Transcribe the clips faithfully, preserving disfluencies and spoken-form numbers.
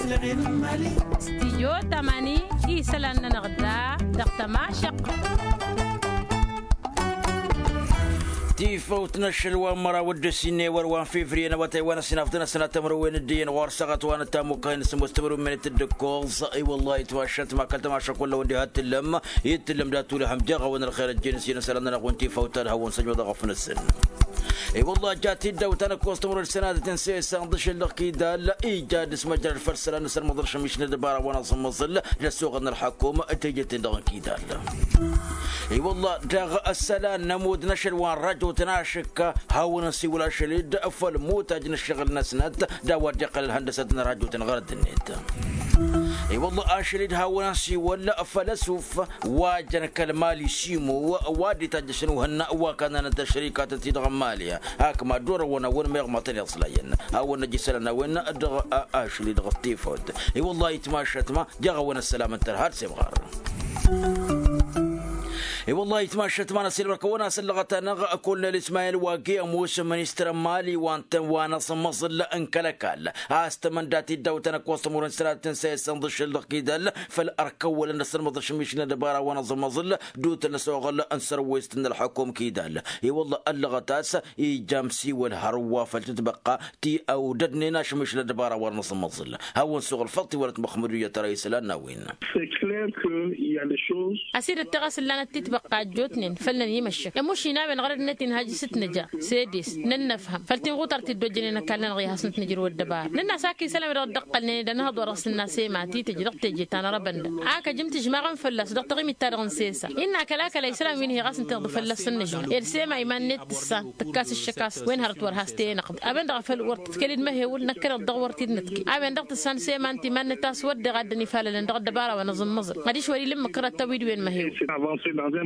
Stijyo tamani isălan-nănăɣ da dăɣ-tămašăq. Tifăwt n-ašăl wa n-măraw d-ăsinne wăr wa n-fevriye n-awătay wa n-ăssinafḍăn ăssinat tămrăwen d-iyyăn ɣur-săɣăt wa n-ătamukăyăn s-ămoos tămrăwen d-tǝddǝkkoẓ. I-wăllah itmašăt ma kăl-tămašăk wălla wădde ha t-tǝllăm i-tǝllăm dat-tulăhăm jeɣ-awăn ălxer ăjjeen s-iyyăn isălan-nănăɣ wi n-tifăwt ad-hawăn-săjmăḍ aɣăf-năsăn. I-wăllah ja t-dd-awtan ăkkoẓ tămrăwen d-sănadăt n-sesa n-ḍǝšǝl dăɣ-kidal ija d-sămăjrăd făll-isălan n-asărmăḍ ălšămiš n-ăddăbara wa n-aẓǝmmăẓǝl d-ăssoɣăl n-ălḥăkum tejăt-en dăɣ-kidal. I-wăllah daɣ ăssălan n-ămood n-ašăl wa n-rajotăn ašǝkka hawăn-ănsiwǝl ašăl-dd făll-mutaj n-ǝššăɣǝl-năsnăt d-a-wa dd-iqqăl ălhăndăsăt n-rajotăn ɣărăt-net. I-wăllah ašăl-dd hawăn-ănsiwǝl făll-ăsuf wa jăn kăl-mali simo wa dd-itajjăšăn uhǝnna wa kannănăt ăššărikatăn-ti-dăɣ n-mali. Ak mad-orăwăn a-wen meɣ matăn iẓlayăn hawăn-năj isălan a-wen dăɣ-ašăl-i dăɣ-tifăwt. I-wăllah itmašăt ma jeɣ-a-wen ăssălam n-tărha d-semɣar. I-wăllah itmašăt ma n-ăsilmăr-kăwăn a-s ăllăɣăt-anăɣ kolnel ismayel wa giyămos ministăr n-mali wa n-tăn wa n-aẓǝmmăẓǝl n-kăl-ăkall a-s tămăndat iddawtăn ăkkoẓ tămurăn s-tănatăt n-săyăsăn d-ašăl dăɣ-kidal făll-ărkăwwălăn d-asǝlmăḍ ašǝmmišǝl n-ăddăbara wa n-aẓǝmmăẓǝl d-utăn ăsoɣăl n-sărwest n-ălḥăkum kidal. I-wăllah ăllăɣăt a-s ija ămsiwăl hărwa făll-tǝtbăqqa ti ăwdădnen ašǝmmišǝl n-ăddăbara wa n-aẓǝmmăẓǝl hawăn-suɣǝl făḍt iwălăt măxmădu i-ad-tăra isălan n-a-wen. Ăsidăt tiɣăs ǝllanăt titbăqqa ăjjootnen făll-năn imăššăk ămušin a-wen ɣărăd-net inhaj s-t-nǝja s-edes nănnăfhăm făll-tinɣutar ti dd-ojjănen ăkall-nănăɣ i-hasnăt nǝjrǝw ăddăbara nǝnn'-as ak isălan-wi-dăɣ dd-ăqqălnen ed ănhăḍ wa dăɣ-s ǝnna s-ema ti tǝj dăɣ-teje ta n-arăbăndăɣ ak ăj ǝmtǝžmaɣăn fălla-s dăɣ-taɣimit-ta-dăɣ n-sesa innă kăla-kăla isălan wi n-hi ɣas ǝnta iḍǝf fălla-s ǝnnǝžmăɣ ed s-ema iman-net tǝssan tǝkkas ǝššǝk a-s wen hărăt wăr has-t-e-inăɣ. A-wen-dăɣ a făl wăr tǝtkăl-dd măhewǝl năkkăneḍ dăɣ-wăr t-dd-nǝtke a-wen-dăɣ tǝssan s-eman timan-net a-s wădden a dd-ănifalălăn dăɣ-ăddăbara wa n-aẓǝmmăẓăl adiš wăr-ila ǝmmǝk kăraḍ tawid-wen măhewǝl.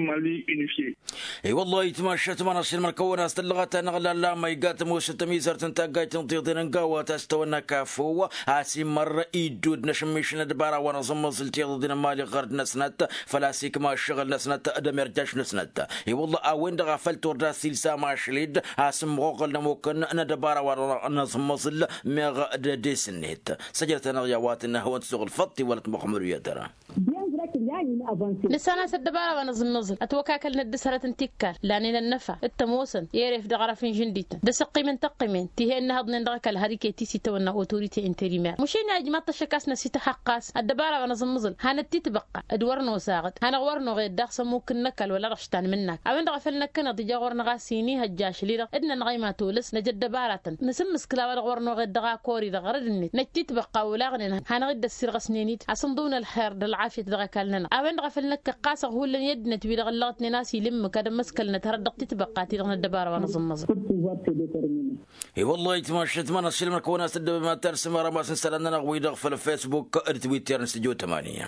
I-wăllah itmašăt ma n-ašilmăr-kăwăn a-s tǝllăɣăt-anăɣ lalla ma iga tămoosăt tămizărt n-taggajt n-tiḍen n-gawa ta s-tawănna kafo a-s imăr iddud n-ašǝmmiš n-ăddăbara wa n-aẓǝmmăẓǝl tiḍeḍen n-imali ɣărd-năsnăt făl-a-s ikma ǝššăɣǝl-năsnăt d-ămirjaš-năsnăt. I-wălla a-wen-dăɣ a făl turda s-ilsam ašli-dd a-s ǝmmăɣoɣăl n-ămukăn n-ăddăbara wa n-aẓǝmmăẓǝl meɣ d-ădes-net. Săjdăt-anăɣ i-a-wa tǝnna hawăn-t-suɣǝl făṭṭ iwălăt măxmădu i-ad-tăra. Nǝssan a-s ăddăbara wa n-aẓǝmmăẓǝl ătwăkakălnăt d-asărăt n-tikkal lanen ănnăfa d-tămoosăn i-eref dăɣ-arăf n-žǝndităn d-asăqqim n-tăqqimen ti he-ǝnnăhăḍnen dăɣ-ăkall har iket-i s-itawănna otorite interimer mušin i-ajmaḍ-t ăššăk a-s năsităhăqq a-s ăddăbara wa n-aẓǝmmăẓǝl hanăt-titbăqqa d-wăr nosaɣăt hanăɣ-wăr noɣed daɣ s-ămmuk n-ăkall wăla dăɣ-š tanmǝnnak a-wen-dăɣ a făl năkkăneḍ ija ɣur-năɣ a-s inihăjja ašli-dăɣ d-nănɣăy ma tolăs năj ăddăbaratăn nǝsǝmmǝskǝl a-wa-dăɣ wăr noɣed dăɣ-akori-dăɣ ɣărăd-net năj titbăqqa olaɣnen hanăɣ-dd-ăssirɣăsnen-dd a-s ǝnḍǝwăn ălxer d-ălɣafyăt dăɣ-ăkall-nănăɣ. A-wen-dăɣ a făl năkkăɣ ɣas ăɣhullăn i-ăddinăt-wi-dăɣ ăllăɣătnen a-s ila ǝmmǝk ad-ămmăskălnăt hărăt dăɣ-titbăqqa-ti-dăɣ n-ăddăbara wa n-aẓǝmmăẓăl. I-wăllah itmašăt ma n-ašilmăr-kăwăn a-s dd-ăbămăttar s-imărămas n-isălan-nănăɣ-wi-dăɣ făll-facebook d-twitter n-studio tămani.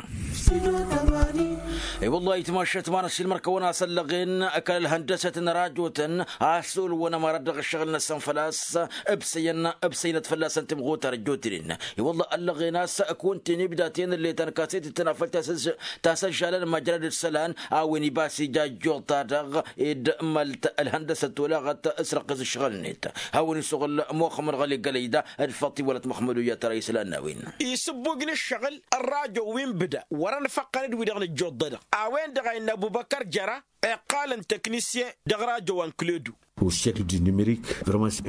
I-wăllah itmašăt ma n-ašilmăr-kăwăn a-s ăllăɣen ăkall ălhăndăsăt n-rajotăn a-s olwăn ămărăt dăɣ-ǝššăɣǝl-năsăn făl-a-s ǝbsăyăn ǝbsăynăt fălla-săn timɣutar ăjjootnen. I-wălla ăllăɣen a-s kăwăn-ten-ibda tenăllet ta n-kaset-tăn a făl tasăžžalăn măjrăd d-isălan a-wen ibas ija ăjjoḍ-ta-dăɣ ed mălt ălhăndăsăt olaɣăt s-răqqis ǝššăɣǝl-net. Hawăn-isuɣǝl muxămmăd ɣăli gălăyda d-făṭṭ iwălăt măxmădu i-ad-tăra isălan n-a-wen. Isǝbbug n-ǝššăɣǝl ărrajo wi n-bǝda wăr-ănfăqqăn d-wi-dăɣ nǝjjoḍ-dădăɣ. A-wen-dăɣ a innă ăbubăkăr jăra iqqalăn tăknisyen dăɣ-rajo wa n-kǝledu.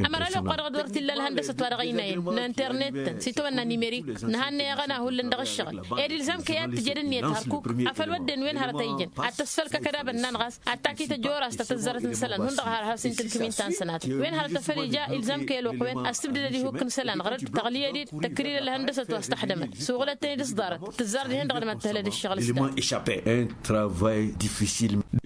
Ămăra ăloqq-wa-dăɣ d-wăr t-illa ălhăndăsăt wa dăɣ-ăynayăn n-internet-tăn s-itawănna nimerik nǝhannăy aɣăna hullan dăɣ-ǝššăɣǝl ed ilzam kăy-ad-tǝjed ǝnniyăt hărkuk. Afăl wădden wen hărăt a ijăn ad-tăsfăl kăkădabăn-nănɣas ad-takit ăjoras ta tăzzarăt n-isălan hundăɣ har has-intǝlkǝm-in ta n-sănatăt wen hărăt afăl ija ilzam kăy-ăloqq-wen ăssǝbdădăd ihuk n-isălan ɣărăd tăɣliyăd-dd tăkrir ălhăndăsăt wa s-tăxdămăd suɣǝlăt-ten-dd s-ḍarăt tǝzzar dihen-dăɣ d-mad-tăhlăd ǝššăɣǝl s-ta.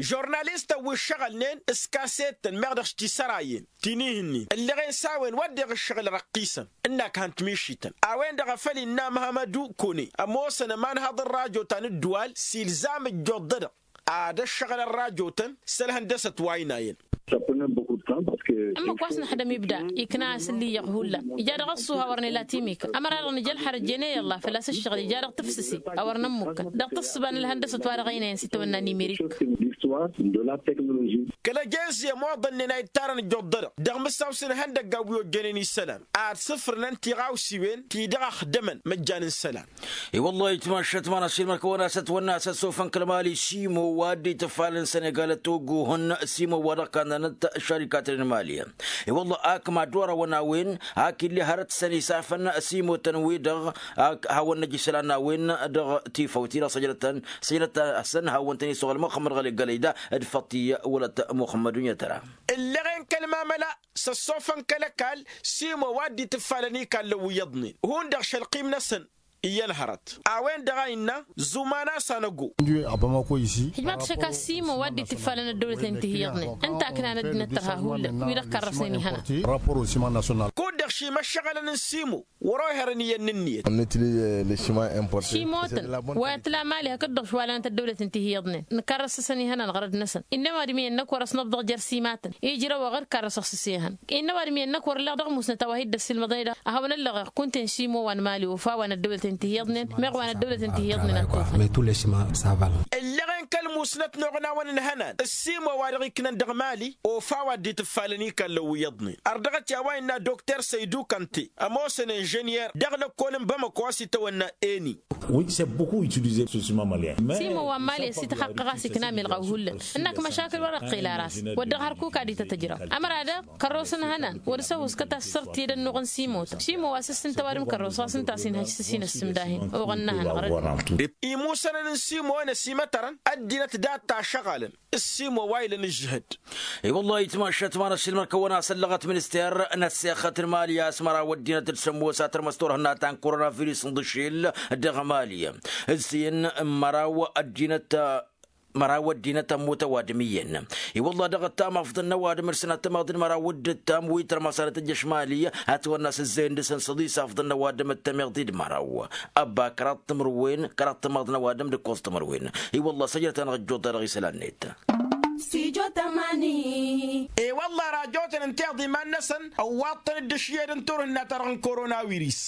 Žurnalistăn wi ǝššăɣǝlnen s-kasettăn meɣ dăɣ-s tisărayăn ti n-ihǝnnin ǝlleɣen s-a-wen wădden ǝššăɣǝl răqqisăn ǝnnak han-tmišităn. A-wen-dăɣ a făl innă măhămădu kone ămoosăn ămanhăḍ n-rajo ta n-ǝddǝwal s-ilzam ǝjjoḍ-dădăɣ ad-ăššăɣǝl ărrajotăn s-ălhăndăsăt wa ăynayăn. Ǝmmǝk wa s-năxdăm ibda ikna a-s ǝlliyyăɣ hullan ija dăɣ-ăṣṣuha wăr nǝla timikăl ămăra-dăɣ nǝja ălxărăt jene i-ălla făl-a-s ǝššăɣǝl ija dăɣ-tǝfsǝse a wăr nămmukkăn dăɣ-tǝssǝba n-ălhăndăsăt wa dăɣ-ăynayăn s-itawănna n-imirik. Kăl-ăjezze ămoḍănnen a ittarăn ǝjjuḍ-dăɣ dăɣ-mǝssaw s-inhăndăgga wi ojjănen isălan ad-sǝfrǝnăn tiɣawsiwen ti-dăɣ ăxdămăn măjjan n-isălan. I-wăllah itmašăt manăs ilmăr kăwăn-asăt wănna s-ăssofăn kăl-mali simo wa dd-itǝfalăn sănegal ăttogohăn simo wa dăɣ-kannanăt šarikaten n-mali. I-wăllah ak mad-orăwăn a-wen ak ill'-e hărăt săn isafăn simotăn-wi-dăɣ ak hawăn-năj isălan n-a-wen dăɣ-tifawt-i-dăɣ săjdătăn săjdăt-asăn hawăn-tăn-isuɣ ălmăxămmăd ɣăli gălăyda d-făṭṭi wălăt muxămmăd unyătăra. Ǝlleɣen kăl-mamăla s-ăssofăn kăl-ăkall simo wa dd-itǝffalăn ikallăn wi iyyăḍnen hundăɣ šălqim-năsăn iyyăn hărăt a-wen-dăɣ a innă zuman a-s anăgo. Hǝjmaḍ-t šăkka simo wa dd-itǝffalăn ăddăwlăten ti hi-iyyăḍnen ǝnta a ǝknan ăddinăt tărha hullan wi-dăɣ karrăsnen ihănan. Kud-dăɣ šimăššăɣălăn n-simo wăr-oherăn iyyăn n-ǝnniyăt. Šimotăn wa tǝla mali hakd-dăɣ šwalanăt ăddăwlăten ti hi-iyyăḍnen nǝkarrăs-asăn ihănan ɣărăd-năsăn. Innă ăwadǝm iyyăn-năk wăr-ăsnăbḍăɣ jer-simatăn ijrăw aɣăr karrăsăɣ s-ăsehăn. Innă ăwadǝm iyyăn-năk wăr-ǝlleɣ dăɣ-musnăt a-wa hi-dd-ăssiilmăḍăn i-dăɣ a hawăn-ăllăɣeɣ kunta-en simo wa n-mali ofa wa n-ăddăwlăten ti hi-iyyăḍnen meɣ wa n-ăddăwlăten ti hi-iyyăḍnen a ăttohăn. Ǝlleɣen kăl-musnăt n-oɣnawăn n-ihănan ăssiimo wa dăɣ-iknăn dăɣ-mali ofa wa dd-itǝffalăn ikallăn wi iyyăḍnen. Ărdăɣăt i-a-wa innă dokter săydu kănte ămoosăn inženyer dăɣ-lăkkol n-bamăko a-s itawănna eni. Simo wa n-mali ăsităxaqqăɣ a-s ikna milɣaw hullan ǝnnak măšakǝl wăr-ăqqel ar-as wăr dăɣ-hărkuk ad-ităt ǝjraw. Ămăra daɣ kărros n-ihănan wăr-s ăhuskăt a-s săr-t i-dd-ănnuɣ n-simotăn simo wa s-ǝssǝntă ăwadǝm kărros wa s-ǝnta a-s inhăj s-ăsinăs s-imdahin oɣăn n-ehăn ɣărăd. Imusănăn n-simo-en ăsimătărăn ăddinăt dat-tašăɣalăn ǝssimo wa ilăn ǝžžǝhăd. I-wăllah itmašăt manăssilmăr-kăwăn a-s ăllăɣăt minister n-ăssexăt n-mali a-s măraw ăddinăt d-sămmos a tărmăs turhǝnna ta n-koronavirus n-dăšel dăɣ-mali. D-sǝyăn măraw ăddinăt măraw ăddinăt ămmut ăwadǝm iyyăn. I-wăllah dăɣ-ăttam afḍăn n-ăwadǝm d-sănat tămeḍ d-măraw d-ǝttam wi tărmăsarăt ǝjjăš mali. Ătwănna s-ǝzzăyăn dăɣ-săn săḍis afḍăn n-ăwadǝm d-tămeḍ d-măraw ăbba kăraḍ timǝrwen kăraḍ tămeḍ n-ăwadǝm d-ǝkkoẓ timǝrwen. I-wăllah săjdăt-anăɣ ǝjjuḍ-ta-dăɣ isălan-net. I-wăllah rajotăn ǝnta iḍa iman-năsăn ăwwaḍ-tăn-dd ǝšyed n-turhǝnna-ta-dăɣ n-koronawiris.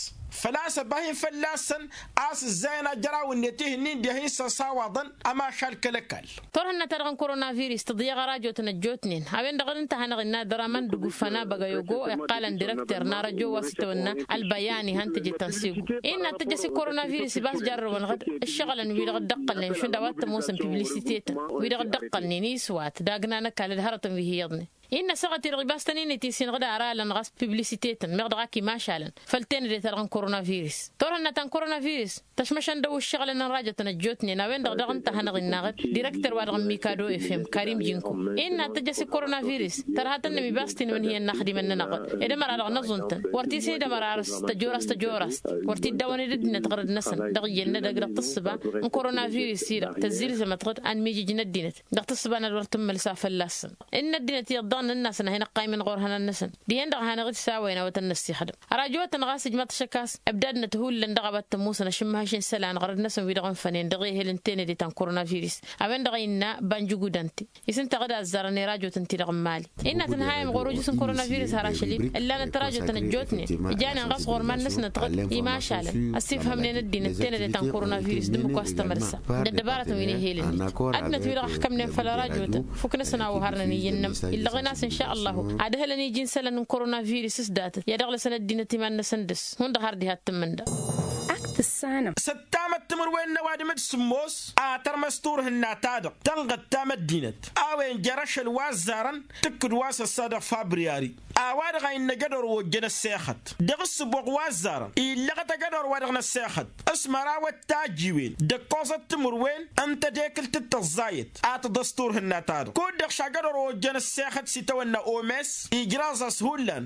Făl-a-s ăbahǝn fălla-săn a-s ǝzzayăn ajăraw-net ih'-ǝnnin dihen s-ăsawaḍăn ămašal kăl-ăkall. Turhǝnna-ta-dăɣ n-koronavirus tǝḍyăɣ arajotăn ăjjootnen a-wen-dăɣ d-ǝnta a hanăɣ-innă dăraman d-ugǝffa n-abăgăy ogo iqqalăn direkter n-arăjo wa s-itawănna ălbăyani han tǝjǝt tăn-sigu. Innă ad-tăjjăs i-koronavirus ibas jarrăwăn ɣǝd ǝššăɣǝlăn wi-dăɣ dd-ăqqălnen šund a-wa t-ămoosăn piblisite-tăn wi-dăɣ dd-ăqqălnen iswat d-agna n-ăkall d-hărătăn wi hi-iyyăḍnen. Innă asăɣăt-i-dăɣ ibas tăn-inǝt isin ɣǝd ara ălăn ɣas piblisite-tăn meɣ dăɣ-ak imašalăn făll-tenăde-ta-dăɣ n-koronavirus. Turhǝnna ta n-koronavirus tăšmăšăn dăw-ǝššăɣǝlăn n-rajătăn ăjjootnen a-wen-dăɣ daɣ ǝnta a hanăɣ-innă ɣǝd direkter-wa-dăɣ n-mikado efem karim jinko innă ad-tăjjăs i-koronavirus. Tărha tănnăm ibas tinǝwăn hi-ănnaxdimăn-nănăɣ ɣǝd ed ămăra-dăɣ n-aẓuntăn wăr t-isǝnid ămăra arǝs tăjorast tăjorast. Wăr t-dd-awăn ed ăddinăt ɣărăd-năsăn dăɣ-iyyăn n-edăgg dăɣ-tǝssǝba n-koronavirus-i-dăɣ tăzzilzămăt ɣǝd anmijǝj n-ăddinăt dăɣ-tǝssǝba n-ad-wăr tǝmmălǝs a fălla-săn. Inn' ăddinăt iyyăḍ dăɣ-nǝnn'-asăn a hin-ăqqaymăn ɣur-ihănan-năsăn dihen-dăɣ a hanăɣ-dd-sawăyăn a-wa tăn-năssixdăm. Ărajăwătăn ɣas ǝjmaḍ-t šăkkas ǝbdadnăt hullan dăɣ-a-wa t-ămoosăn ašǝmmăhăš n-isălan ɣărăd-năsăn wi-dăɣ ǝnfănen dăɣ-ehel n-tenăde ta n-koronavirus. A-wen-dăɣ a innă banjugudante isǝnta ɣǝd a ăzzarăn i-rajotăn-ti-dăɣ n-mali. Innă tǝnhayăm ɣur-ujǝs n-koronavirus har ašăl-i ǝllanăt rajotăn ăjjootnen ǝjanen ɣas ɣur-iman-năsnăt ɣǝd imašalăn ăssifhămnen ăddinăt tenăde ta n-koronavirus d-ǝmmǝk wa s-tămălsa d-ăddăbarătăn wi n-ehel-net. Ăddinăt-wi-dăɣ ăxkămnen făll-arajotăn fuknăsăn a uharnăn iyyăn-nămăr illăɣen-as n-šăllahu ad-ǝhǝlăn iji n-isălan n-koronavirus s-datăt i-ad-ăɣlăsăn ăddinăt iman-năsăn dăr-s hundăɣ har diha t-tǝmmǝnda. Ak tǝssanăm. S-ăttamăt timǝrwen n-ăwadǝm d-sǝmmos a tărmăs turhǝnna-ta-dăɣ tănɣăt-tam ăddinăt a-wen jer-ašăl wa ăzzarăn tǝkkǝd wa s-ăssa dăɣ-fabriyari. A-wa-dăɣ a innă ajădor wa ojjăn ăssexăt dăɣ-ǝssǝboɣ wa ăzzarăn illăɣăt ajădor-wa-dăɣ n-ăssexăt s-măraw ăttajiwen d-ǝkkoẓăt timǝrwen n-tedekǝlt d-tăẓẓayăt a tǝḍăs turhǝnna-ta-dăɣ kud-dăɣ šajădor wa ojjăn ăssexăt s-itawănna omes ijraẓ-as hullan.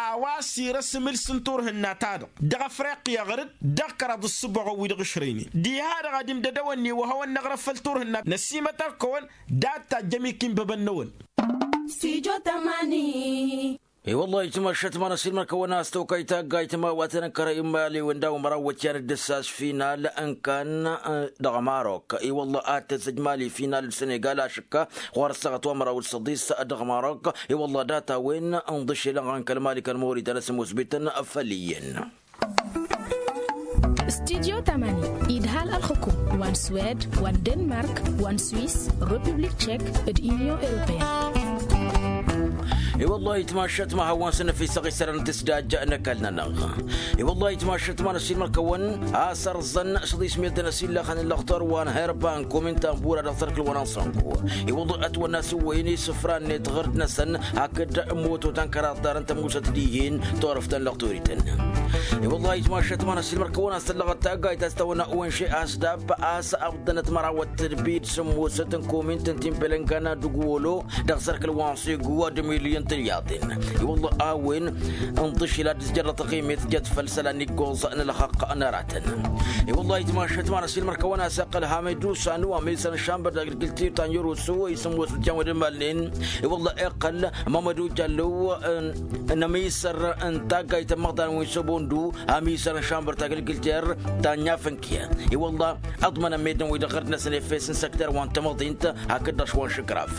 A-wa s-irăs imǝls n-turhǝnna-ta-dăɣ dăɣ-afriqya ɣǝr-dd dăɣ-kăraḍ ǝssǝboɣăn wi-dăɣ ǝšrăynen diha-dăɣ ad-imdăd a-wănni wa hawăn-năɣrăf făll-turhǝnna n-ăsimătăr-kăwăn dat-tajjăm ikinbăbăn-năwăn. I-wăllah itmăššăt manăsilmăn-kăwăn a-s tokăy taggayt ma-wa tăn-ǝnkărăy n-imali-wen daw-măraw wătyan d-ǝssas final n-kan dăɣ-marok i-wăllah ad-tăzzăj mali final d-sănegal ašǝkka ɣur-ăssaɣăt wa măraw d-săḍis dăɣ-marok. I-wăllah data-wen n-iḍǝšel n-kăl-mali kăl-mawri ta n-asǝmmusbităn făll-iyyăn. Studyo tamani idhal ălxukum wa n-swed wa n-denmark wa n-swis, republik tchek, d-inyon europeyăn. I-wăllah itmašat ma hawăn-săn năfisăɣ isărăn tisdaj n-ăkall-nănăɣ. I-wăllah itmašat ma năsilmăr-kăwăn a-s ărẓăn s-ḍismiyăt n-asillăxăn n-lăxtor wa n-herba n-komin tambura dăɣ-sărkǝl wa n-asănku. I-wăllah ătwănna s-ǝwwăyăn isǝfra-net ɣur-dăɣ-năsăn hakd moto ta n-kăraḍ darăn tămusăt dihen turăft ta n-lăxtorităn. I-wăllah itmašat ma năsilmăr-kăwăn a-s tăllăɣăt taggayt a-s tawănna onže a-s dabb a-s ăḍḍănăt mărawăt tǝlbid sǝmmosăt n-komint n-timbelăngana d-ǝgwolo dăɣ-sărkǝl wa n-segu ad-ǝmiliyăn tǝlyaḍen. I-wăllah a-wen ǝnḍǝšil ad-dd-tǝjjărrăt ăɣimet jăt făll-isălan iggoẓ n-ălxaqq n-aratăn. I-wăllah itmašat ma năsilmăr-kăwăn a-s iqqăl hamedu sanu amisăn šambăr d-agrikultir ta n-yărusu isǝmmos d-jan wădămalnen. I-wăllah iqqăl mamădu jallo n-amisăr n-taggayt n-imăḍan wi n-sobondu amisăr n-šambăr tagrikultir ta n-yafǝnkiya. I-wăllah ăḍmănăn meddǝn-wi-dăɣ ɣur-dăɣ-năsăn efes n-săkter wa n-tamăḍint hakd-dăɣ šwa n-išǝkraf.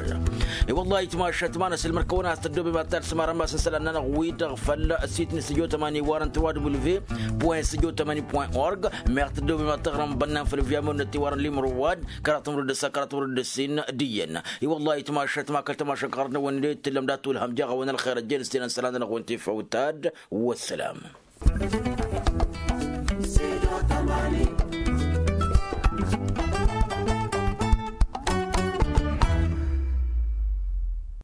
I-wăllah itmašat ma năsilmăr-kăwăn a-s tăddoobem ad-talsǝm arămas n-isălan-nănăɣ-wi-dăɣ făll-sit n-studio tămani iwarăn trois w point studio tămani point org. Meɣ tăddoobem ad-taɣrăm bănnan făll-via mănăt iwarăn limro wa-dd kăraḍ timrǝd d-ăssa kăraḍ timrǝd d-ăssin d-iyyăn. I-wăllah itmašat ma kăl-tămašăk ɣur-dăɣ-năwăn d-tǝllăm dat-tulhăm jaɣ-awăn ălxer ăjjeen s-tenăn isălan-nănăɣ-wen tifăw tad-wăssălam.